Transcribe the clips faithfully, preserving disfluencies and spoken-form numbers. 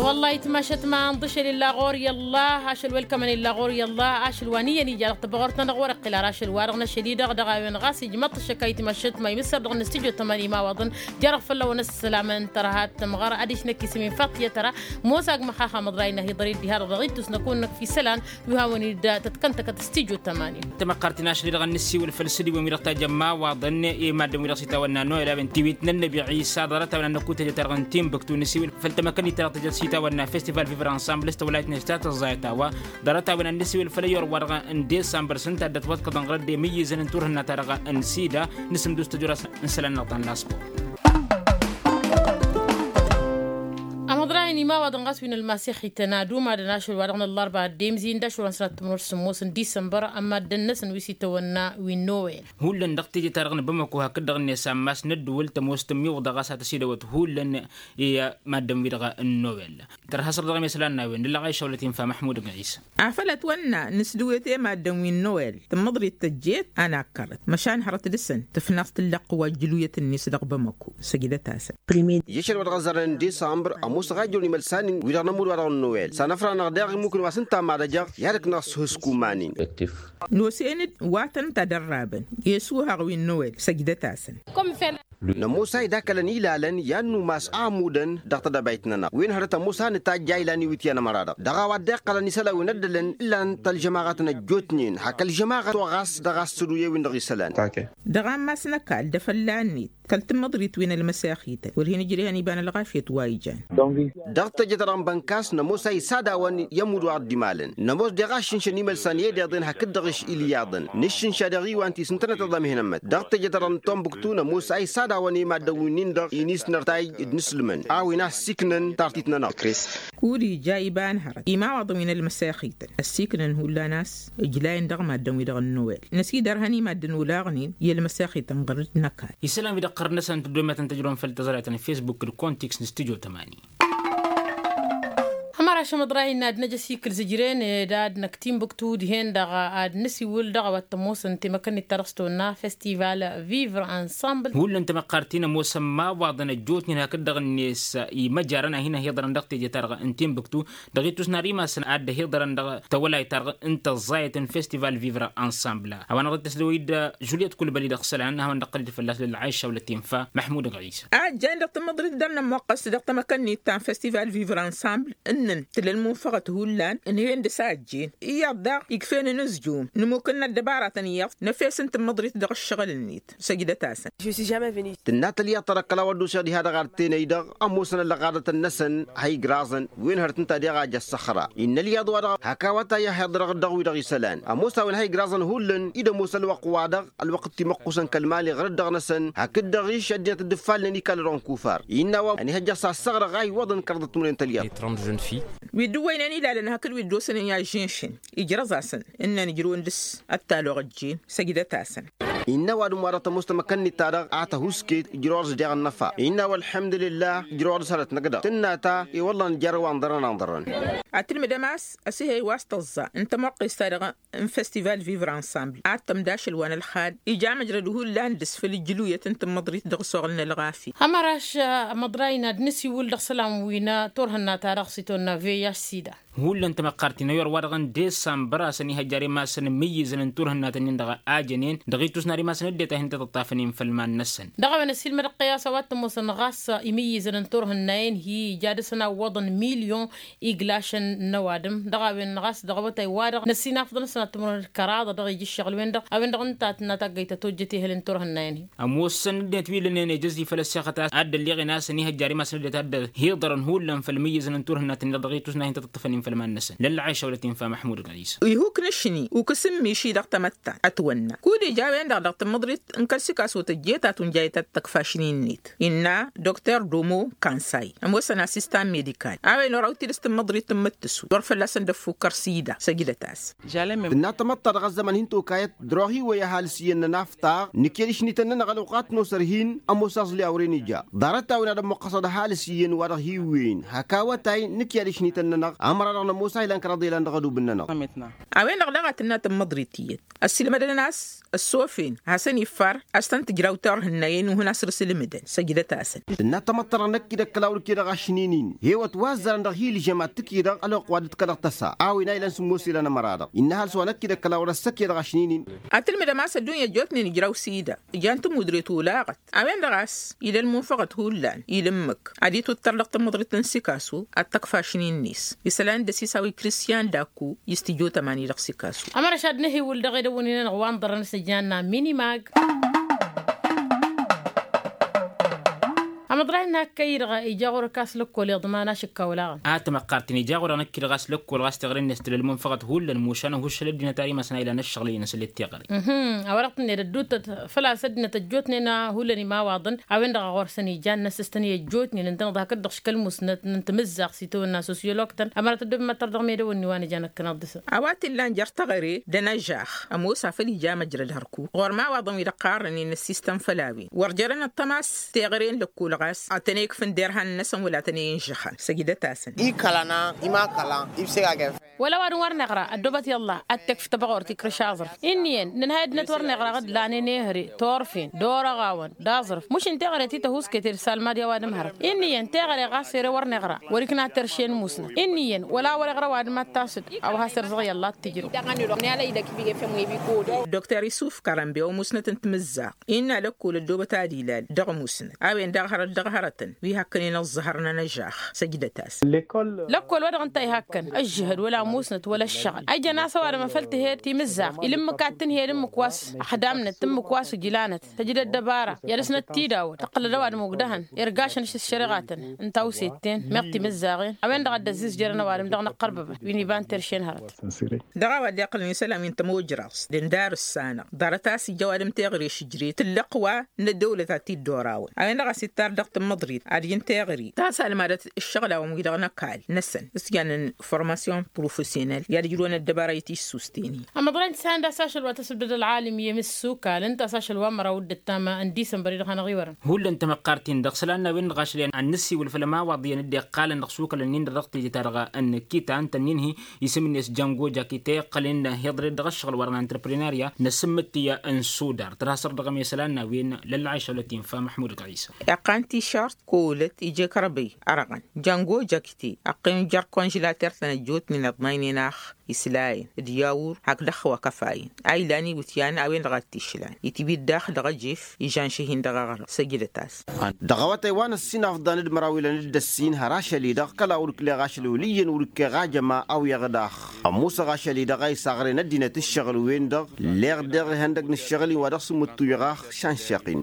I-wălla-hi tmašăt ma ănḍǝšel illa ɣur-i ăllah ašăl welkămăn illa ɣur-i ăllah ašăl wa n-iyyăn ija dăɣ-tăbăɣurt-nănăɣ wăr-iqqǝl ara ašăl-wa-dăɣ n-ašăl-i-dăɣ dăɣ-a-wen ɣas ijmăḍ-t ăššăk a itmašăt ma imǝssăr dăɣ-nǝstǝjo tămani imawaḍăn. Jer-ăɣ fălla-wăn ăssălam n-tărha tămɣăr adiš năkk isǝm-in faṭiyăt ra. Mosa agmăxaxa măḍray n-ahiḍăr-i dd-iha-dăɣ dăɣ-ittus năkk-wăn-năkk fi isălan. Wi hawăn-dd tătkăntăkăt s-tijo tămani. Tamăqqart-in ašăl-i-dăɣ ănnăsiwǝl făll-sǝdiwăn-wi-dăɣ tajămma awaḍăn i-maddǝn-wi-dăɣ s-itawănna noel a-wen tiwit n-ănnabi ɣisa ḍarăt-a-wen ad-năkku teje-ta-dăɣ n-timbuktu nǝsiwǝl făll-tamăkănnit-ta-dăɣ tejăt s-itawănna festival vivra ensemble s-tăwălayt-net ta tăẓẓayăt a-wa ḍarăt-a-wen ad-nǝsiwǝl făll-ăyyor-wa-dăɣ n-disambăr s-ǝnta a dd-ătwăḍkăḍăn ɣur-ădde imǝyyǝzăn n-turhǝnna-ta-dăɣ n-sida. Nǝsǝmdus tăjura s-isălan-năɣ ta n-laspor. Amăḍrayăn imawaḍăn ɣas wi n-ălmasixităn ad-umadăn ašăl-wa-dăɣ n-ăllarba ăddemzi n-dašăl wa n-sănat timǝrwăr s-sǝmmos n-disămbăr ămaddăn-năsăn wi s-itawănna wi n-nowel. Hullan dăɣ-teje-ta-dăɣ n-bamăko hakd-dăɣ-net ammas n-ăddǝwǝl tămoos tǝmmiwǝḍa ɣas ad-tăsidăwăt hullan i-maddăn-wi-dăɣ n-nowel. Tărha săr-dăɣ i-mesălan n-a-wen dăɣ-lăɣayša wăla t-infa măḥmud n-ɣisa. Afăl ătwănna nǝsdǝwet i-maddăn wi n-nowel tǝmmăḍrit tăjjeet a nakkărăt măšan hărăt dăɣ-săn tǝfnaẓ tǝllăqqǝw ajjǝluyăt-net dăɣ-bamăko. Săjdăt-asăn. I-ašăl wa dăɣ-ăzzarăn n-disămbăr ămoosăɣ a ijrăwăn imălsan-in wi-dăɣ nămud-wa-dăɣ n-nowel s-anăfra-năɣ daɣ immukǝn wa s-ǝnta n-mad-ăjăɣ i-ad-ǝknăɣ s-ihǝskuman-in. Nosăn-dd wa tăn-ǝnta dăr-rabăn i-ăsuhaɣ wi n-nowel săjdăt-asăn. Nămoos a idakălăn ilalăn i-ad-numas a ămudăn dăɣ-tedăbayt-nănăɣ wi n-hărăt ămoos a nǝtajj a ilan iwǝtyan ămăra-dăɣ dăɣ-a-wa dd-iqqălăn isălan wi n-ăddălăn ǝllan-t ălžămaɣăt n-ăjjootnen hak ălžămaɣăt wa ɣas dăɣ-a ăssăduye-win-dăɣ isălan. Dăɣ-ammas n-ăkall d-afălla-net kăl-tǝmmăḍrit wi n-ălmăsexităn wăr hin-ǝjreh ănibăn ălɣafyăt wa ijan. Dăɣ-teje-ta-dăɣ n-bănkas nămoos a isadawăn i-ămudd wa dd-imalăn nămoos deɣ a ǝššǝnšăn imălsan i-ed iḍen hakd-dăɣ ǝššǝl iyyăḍăn nǝššǝnša deɣ iwan ti s-ǝntănăt iḍa mihǝnămmăt dăɣ-teje-ta-dăɣ n-tombuktu nămoos a isadawăn i-maddǝn-win-dăɣ inisnăr tayy d-inǝslǝmăn a-wen a ăssiiknăn tartit-nănăɣ. Kud-ija iba n-hărăt imawaḍăn wi n-ălmăsexităn ăssiiknăn hullan a-s ǝjlayăn dăɣ-maddǝn-wi-dăɣ n-nowel năsidărhăn i-maddǝn olaɣnen i-ălmăsexităn ɣur-dd n-ăkall. Isălan wi dăɣ-qărnăsăn tăddomet n-tăjrăwăn făll-tăẓrayăt n-facebook d-kontiks n-stujo tămani. Hămăraš amăḍray-in ad-năj ăsikǝl zǝjren d-ad-năkk timbuktu dihen-dăɣ ad-nǝsiwǝl dăɣ-a-wa t-ămoosăn temăkănnit ta dăɣ-s tonna festival vivre ensemble. Hullan tamăqqart-in ămoosăn imawaḍăn ăjjootnen hakd-dăɣ-net imăjarăn a hin-ăhiḍărăn dăɣ-teje-ta-dăɣ n-timbuktu dăɣ-ittus n-ar imasăn ad-dd-ăhiḍărăn dăɣ-tawălayt-ta-dăɣ n-tăẓẓayăt n-festival vivre ensemble a-wa n-ad-tăsdăwăy-dd žulyet kulbăli dăɣ-isălan a hawăn-dd-ăqqăl-dd fălla-s lălɣayša wăla t-infa. Măḥmud ɣisa. A ăjjăyăn dăɣ-tǝmmăḍrit dăr-nămmoqqăs dăɣ-tamăkănnit ta n-festival vivre ensemble ǝnnăn tǝla ălmunfăɣăt hullan ǝnhăyăn dăɣ-s a ăjjeen iyyăḍ daɣ ikf'-en ănǝzjum nǝmukǝlna ăddăbaratăn iyyăḍ năfesăn tǝmmăḍrit dăɣ-ǝššăɣǝl-net. Săjdăt-asăn. Tǝnna tălyaḍt ta dăɣ-kăla wăr dd-oseɣ diha-dăɣ ad-tenăy-dăɣ ămoosăn ăllăɣadăt-năsăn ha igraẓăn wen hărăt ǝnta deɣ a ja ăssăxra innă ălyaḍ-wa-dăɣ hak a-wa ta i-ahiḍrăɣ dăɣ-wi-dăɣ isălan ămoos a-wen ha igraẓăn hullan-i d-ămoos ălwăqq-wa-dăɣ ălwăqq timăqqusăn kăl-mali ɣărăt dăɣ-năsăn hakd-dăɣ-i šăddinăt dd-ǝffalnen i-kall-dăɣ n-kufar innă a-wa ănihăjjăɣ s-assăɣrăɣ a iwwăḍăn kăraḍăt timǝrwen tălyaḍt. Wi dd-ǝwwăynen ilalăn hakd wi dd-osănen i-ažžinšǝn ijrăẓ-asăn ǝnnăn ǝjrǝwăn dăɣ-s ăttalăɣ ăjjeen. Săjdăt-asăn. Innă ăwadǝm-wa-dăɣ tămoos tamăkănnit-ta-dăɣ a tăhuusket ǝjrăwăr-s deɣ ănnăfa innă a-wa ălḥămdulillah ǝjrăwăr-s hărăt năkk-dăɣ tǝnna ta i-wălla nǝjjăr a-wa ǝnḍărăn ănḍărăn. Ad-tǝlmǝdăm a-s ăsihăy wa s-tăẓẓa n-tămoqqest-ta-dăɣ n-festival vivre ensemble ad-tămd ašăl wa n-ălxal ija măjrăd hullan dăɣ-s făll-ǝjjǝluyăt n-tǝmmăḍrit dăɣ-s oɣǝl n-ălɣafyăt. Hămăraš amăḍray n-ad-nǝsiwǝl dăɣ-isălan wi n-turhǝnna-ta-dăɣ s-itawănna vih-sida. Hullan tamăqqart-in ăyyor-wa-dăɣ n-disămbăr a-s ănihăjja ar imasăn imǝyyǝzăn n-turhǝnna-tăn-in-dăɣ a jănen dăɣ-ittus n-ar imasăn ăddinăt a hin-tăt-ăṭṭafăn i-infălman-năsăn. Dăɣ-a-wen ăsiilmădăɣ tiyyăt a-wa t-ămoosăn ɣas imǝyyǝzăn n-turhǝnna-en hi-ija dăɣ-săn a ǝwwăḍăn milyon iglašăn n-ăwadǝm dăɣ-a-wen ɣas dăɣ-awătay-wa-dăɣ n-ăsinafăḍăn s-ănatămrăwăn d-kăraḍa dăɣ-ijǝššăɣǝl-wen-dăɣ a-wen-dăɣ ǝnta a tǝnna taggăyt tătojjăt ehăl n-turhǝnna-en-hi. Ămoosăn ăddinăt wi lănen ejăz-i făll-ăssexăt a dd-ălleɣen a-s ănihăjja ar imasăn ăddinăt a dd-hiḍărăn hullan făll-imǝyyǝzăn n-turhǝnna-tăn-in-dăɣ dăɣ-ittus n-ad-hin-tăt-ăṭṭăfăn i-infălman-năsăn lălla ɣayša wăla t-infa măḥmud ɣaysa. Ihuk n-ašni ukǝs n-miši dăɣ-tamăttant ătwănna kud-ija a-wen-dăɣ dăɣ-tǝmmǝḍrit n-kăl-sikaso tăjjeet a tunjayăt ad-tăkf ašni-net innă dokter domo kansay ămoosăn asistan medikal a-wen orăw tidǝs tǝmmǝḍrit n-imǝttǝsu wăr fălla-săn dd-ăffukkăr sida săjdăt-as. Tǝnna tamăḍta dăɣ-ăzzăman hin-tokayăt dăr-oɣ hi-iwwăy ăhalǝs iyyăn n-ănaftaɣ nǝkyăd ašni-tăn-nănăɣ ălwăqq ad-t-nosăr hin-ămoos aẓli a wăren ija ḍarăt-a-wen ad-ămmuqqăsăḍ ăhalǝs iyyăn wa-dăɣ hi-iwwăyăn hak awătay nǝkyăd ašni-tăn-nănăɣ. Ămăra Dăɣ-nămoos a ilan kăraḍ ilan dăɣ-edub-nănăɣ. A-wen-dăɣ daɣ a tǝnna tămmăḍrit iyyăt ăssiilmădăn a-s ăssofin hasăn-iffar a-s tăn-tǝjraw turhǝnna i-ănuhǝn asrǝsǝlmǝdăn. Săjdăt-asăn. Tǝnna tamăḍt-ta-dăɣ năkk-i-dăɣ kăla wăr-ǝkkedăɣ ašnin-in hewăt wa ăzzarăn dăɣ-hi-ǝlžăm ad-t-ǝkkedăɣ ălwăqq wa dd-kălăɣ tăsa a-wen a ilăn sǝmmos ilan ămăra-dăɣ innă ăhalǝs wa năkk-i-dăɣ kăla wăr-ăssăkkedăɣ ašnin-in. Ad-tǝlmǝdăm a-s ăddunya ăjjootnen ijraw s-i-dăɣ. Jan tămudre tolăɣăt a-wen-dăɣ a-s ila ălmunfăɣăt hullan ila ǝmmǝk ad-itwǝttăr dăɣ-tamăḍrit n-sikasu ad-t-ăkf ašnin-net. Isălan d-ăsisaw i-kristiyan d-akku i-s tijotămani dăɣ-sikasu. Ămăra šad nǝhiwǝl dăɣ-edăwăn-in-anăɣ wa n-ḍărrăn s-ăjjan n-amini mag. Amăḍrayăn n-akkăy-dăɣ ija ɣur-ăkk a-s lăkkol iḍman ašǝkka olaɣăn. A tamăqqart-in ija ɣur-anăkk-i-dăɣ a-s lăkkol ɣas teɣăre-net tǝla ălmunfăɣăt hullan mušan ăhuššăl ăddinăt a imasăn a ilan ăššăɣǝl-in n-asǝllet teɣăre. A-wa-dăɣ tǝnned ădduuttăt făl-a-s ăddinăt ăjjootnen hullan imawaḍăn a-wen-dăɣ a ɣur-săn ijan n-asǝstăn i-ăjjootnen ǝntăneḍ hakd-dăɣ škăl musnăt n-timǝzzaɣt s-itawănna sosiyolog-tăn ămăra tăddob măttăr dăɣ-medăwănni wa n-ija năkkăneḍ dăɣ-săn. A-wa t-illan jer-teɣăre d-ănăžax ămoos afăl ija măjrăd hărkuk ɣur-imawaḍăn wi-dăɣ ɣarrănen ăssistăn făll-a-wen wăr jărăn ăṭṭăma s-, teɣăre n-lăkkol ɣas ad-tăn-ikfǝn derhan-năsăn wăla ad-tăn-inžăxăn săjdăt-asăn. Ikălăn-a imakăla ibseg a gef. Wăla ăwadǝm wăr neɣra ăddoobăt i-ăllah ad-t-ikf tăbɣort ikrǝš aẓrǝf inn'-iyyăn nǝnhăy ăddinăt wăr neɣra ɣǝd lanen ehăre torfen d-orăɣawăn d-aẓrǝf mušǝn teɣăre ti tăhuusket ed salmad i-ăwadǝm hărăt inn'-iyyăn teɣăre ɣas ere wăr neɣra wăr-ikna terše n-musnăt inn'-iyyăn wăla wăr-iɣra ăwadǝm ad-tasǝd a-wa has-erzăɣ i-ăllah ad-t-ǝjrǝw. Dr isuf kărănbe wa musnăt n-timǝzzaɣt innă lăkkol ăddoobăt ad-ilal dăɣ-musnăt a-wen daɣ hărăt dăɣ-hărătăn wi hakkănen ăẓẓăhăr n-ănăžax săjdăt-as. Lăkkol wa dăɣ-ǝnta ihakkăn ăžžǝhăd wăla musnăt wăla ăššăɣǝl a ijăn a-s ăwadǝm a făl tǝhed timǝzzaɣt ila ǝmmǝk ad-tǝnheyăd ǝmmǝk wa s-ăxdamnăt ǝmmǝk wa s-ǝjlanăt tǝjǝd ăddăbara i-ad-dăɣ-snăt tidawăt tăqqǝlăd ăwadǝm ogdăhăn irgašăn ašǝššăreɣatăn n-tawset-ten meɣ timǝzzaɣen a-wen-dăɣ a dd-ăzzizjărăn ăwadǝm dăɣ-inǝqqărbăbăn wi n-iba n-terše n-hărăt. Dăɣ-a-wa dd-iqqălăn isălan wi n-tămojraẓt d-indarǝssanăɣ ḍarăt a-s ija ăwadǝm teɣăre šǝjre tǝllăqq wa n-ăddăwlăt ad-t-dd-orawen a-wen-dăɣ a-s ittar dăɣ-tǝmmăḍrit ad-ijǝn teɣăre ta s-almadăt ǝššăɣǝl-awăn-wi-dăɣ n-ăkall-năsăn s-jannen formasyon profesyonel i-ad-ǝjrǝwăn ăddăbara i-tissust-en-i. Ămăḍrăy n-tisănda s-ašăl wa tăsbdăd ălɣalim i-emǝssukal ǝnta a-s ašăl wa n-măraw d-ǝttam n-disămbăr-i-dăɣ hanăɣ-iwărăn. Hullan tamăqqart-in-dăɣ isălan n-a-wen-dăɣ ašăl i-ad-nǝssiwǝl făll-ămawaḍ iyyăn dd-iqqalăn dăɣ-isukălăn-in-dăɣ dăɣ-teje-ta-dăɣ n-kita ǝnta ǝnnin-hi isǝm-net jango jakite iqqăl-in iḍre-dd dăɣ-ǝššăɣǝl wa dăɣ-n antrăprenarya n-asǝmmǝt ti n-sudar tărha săr-dăɣ ămesălan n-a-wen lălla ašăl ătinfa măḥmud ɣisa. Iqqan tišart kolăt ije kărbăy ărɣăn jango jakite ăqqim jer-konžǝlater-tăn ăjjootnen iḍnaynen ax islayăn d-yawur hakd ăxxăw akăfayăn a ilan iwǝtyan a-wen-dăɣ a t-išlan itwǝy-dd daɣ dăɣ-ejef ižanš'-ihin dăɣ-aɣrǝm săjdăt-as. Dăɣ-awătay wa n-ăssinafḍan d-măraw ilan d-ăssin har ašăl-i-dăɣ kăla wăr-ǝkleɣ ašăl wăl' iyyăn wăr-ǝkkeɣ ajăma awǝyăɣ daɣ ămmusăɣ ašăl-i-dăɣ a isaɣren ăddinăt ǝššăɣǝl-wen-dăɣ. Lleɣ deɣ ihăndăg n-ǝššăɣǝl-in wa dăɣ-s ǝmmǝttuyăɣ ax šanšăɣ-in.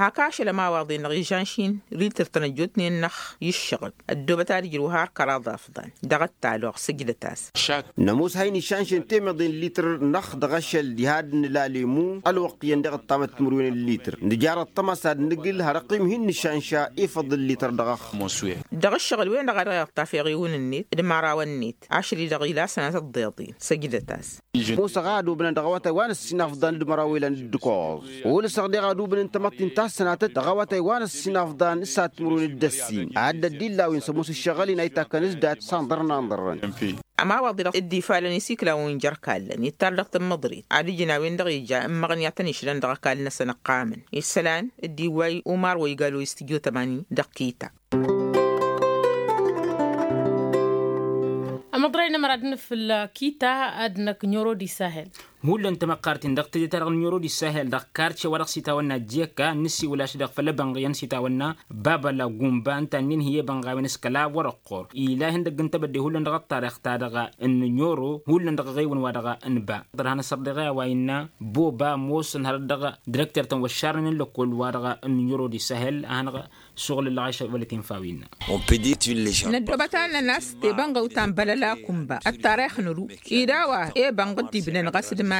Hak ašăl ămawaḍen-dăɣ ižanš-in ritǝr-tăn ăjjootnen-năɣ i-ǝššăɣǝl ăddoobăt ad-ǝjrǝw har kăraḍ afḍan dăɣ-ăttaloɣ sǝjdăt-as. Nămoos ha-in-išanšăn temeḍe n-litǝr-năɣ dăɣ-ašăl diha d-nǝla lemu ălwăqq iyyăn deɣ ǝṭṭamăt timǝrwen n-litǝr nǝjar ăṭṭăma s-ad-nǝgǝl har ăqqim hin-nǝšanša ifăḍ n-litǝr dăɣ-ăxx. Dăɣ-ǝššăɣǝl-wen-dăɣ a dăɣ-iɣta feɣ iwǝn-net d-imărawăn-net ašăl-i-dăɣ ila sănatăt ḍeḍen săjdăt-as. Musăɣ a ădubnăn dăɣ-awătay wa n-ăssinafḍan d-măraw ilan d-ǝkkoẓ. Ulsăɣ deɣ ădubǝn n-tamăḍt inta s-sănatăt dăɣ-awătay wa n-ăssinafḍan s-ad-timǝrwen d-ăssin ad-dd-illa a-wen s-ămoos ǝššăɣǝl-in a itakkăn s-dat s-anḍărăn anḍărrăn. Ămawaḍ-i-dăɣ dd-ifalăn isiklawăn jer-kallăn ittar dăɣ-tǝmmăḍrit ad-ǝjǝn a-wen-dăɣ ija ǝmmăɣăn i-ad-tăn-išlan dăɣ-ăkall-năsăn ǝqqamăn isălan dd-iwway umar wa igalo i-s tijotămani dăɣ-kita. Ămăḍrăy n-ămăra d-nǝfǝl kita ad-năkk n-oro d-isahel. Hullan tamăqqart-in dăɣ-teje-ta-dăɣ n-oro d-isahel dăɣ-karce wa dăɣ-s itawănna jeka n-nǝsiwǝl ašăl-i-dăɣ făll-ebănɣ iyyăn s-itawănna baba la gumba ǝnta ǝnnin-hi i-ebănɣ a-wen s-kăla wăr-ăqqor ila ihăndăgg n-tebădde hullan dăɣ-ăṭṭarix-ta-dăɣ n-oro hullan dăɣ-eɣewăn wa dăɣ-nǝba. Ḍărhan ăssărdeɣ i-a-wa innă boba ămoosăn hărăt dăɣ-direkter-tăn wa ǝššarnen n-lăkkol wa dăɣ-n oro d-isahel a hanăɣ-suɣǝl ǝllăɣ ašăl wăla tinfa wi innă. Năddobăt-anăn a-s tebănɣăw ta n-bălăla kunba ăttarix n-ăru ed a-wa ebănɣ dd-ibnăn ɣas d-iman-net.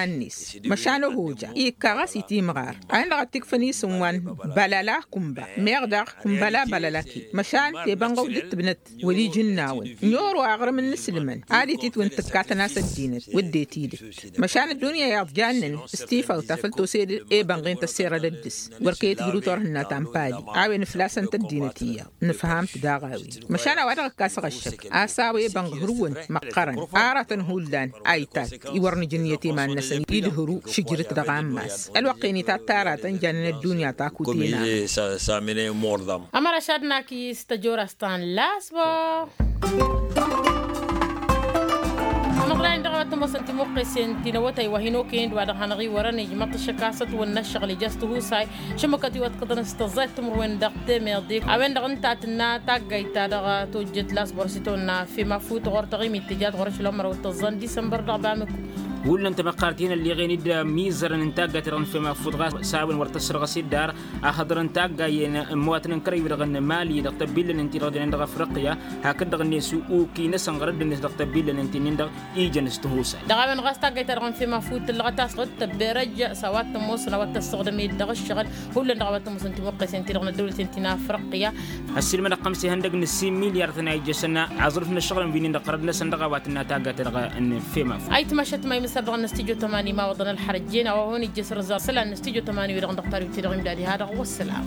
Măšan ăhoja ikka ɣas itimɣar a-wen-dăɣ a t-ikfăn isǝm wa n-bălăla kunba meɣ daɣ kunbăla bălăla ke măšan tebănɣăw dd-tǝbnăt wăl' ijǝnnawăn n-oro aɣrǝm n-inǝslǝmăn ad-ititwǝn tǝkkatăn a-s ăddinăt wădden tidǝt. Măšan ăddunya iyyăḍ jannen s-tifawt ta făl tose d-ebănɣen tăsserădăd dăɣ-s wăr kăy-tǝjrǝw turhǝnna ta n-pali a-wen ǝflasăn tăddinăt iyyăḍ nǝfham-t daɣ a-wen. Măšan a-wa-dăɣ ǝkkasăɣ ăššăk a-s a-wa ebănɣ hărǝwăn măqqărăn aratăn hullan a itat-i wăr nǝjǝnnǝyăt iman-năsăn idhǝru šǝjrǝt dăɣ-ammas. Ălwăqq-en itat taratăn jannen ăddunya ta kutin-a. Ămăraš ad-nakǝy s-tăjorast ta n-lasbor. Ămăḍlay-in dăɣ-a-wa t-ămoosăn timuqqesen ti n-awătay wa hin-okăyăn d-wa-dăɣ hanăɣ-iwărăn ijmăḍ-t ăššăk a-s ătwănna ǝššăɣǝl ija s-tihusay šămmăkăt-iwăḍkăḍăn s-tăẓẓayt timǝrwen dăɣ-temeḍe a-wen-dăɣ ǝnta a tǝnna taggayt-ta-dăɣ tojjăt lasbor s-itawănna fem afut ɣur-taɣimit tǝjat ɣur-ašăl ămăraw d-tăẓẓa n-disămbăr dăɣ-bamǝk. Hullan tamăqqart-in ălleɣen-dd mizărăn n-taggayt-ta-dăɣ n-fem afut ɣas s-a-wen wăr tăssărɣăs dd-ar a hăḍrăn taggayen n-imăwatăn n-kărăy-wi-dăɣ n-mali dăɣ-tăbillăn-in-ti-dăɣ jănen dăɣ-afriqya hakd-dăɣ-net uki-năsăn ɣărăd-net dăɣ-tăbillăn-in-ti-nin-dăɣ ijăn s-tihusay. Dăɣ-a-wen ɣas taggayt-ta-dăɣ n-fem afut tǝllăɣăt a-s ɣǝd tăbberăj s-a-wa t-ămoosăn a-wa t-ăssuɣdăm-dd dăɣ-ǝššăɣǝl hullan dăɣ-a-wa t-ămoosăn timuqqesen-ti-dăɣ n-ăddăwlăt-in ti n-afriqya. Ăssiilmădăɣ xămsa ihăndăg n-ǝssin milyar-tăn a ijjăsăn aẓrǝf n-ăššăɣǝlăn wi-nin-dăɣ ɣărăd-năsăn dăɣ-a-wa tǝnna taggayt-ta-dăɣ n-fem afut. Ayǝtmašăt ma imǝssăr dăɣ-năstijjo tămani ma wăḍăn ălxărăt jen a-wa hon ijjăs răzar isălan năstijjo tămani wi-dăɣ n-dăɣ tariwt-i-dăɣ imdad iha-dăɣ wăssălam.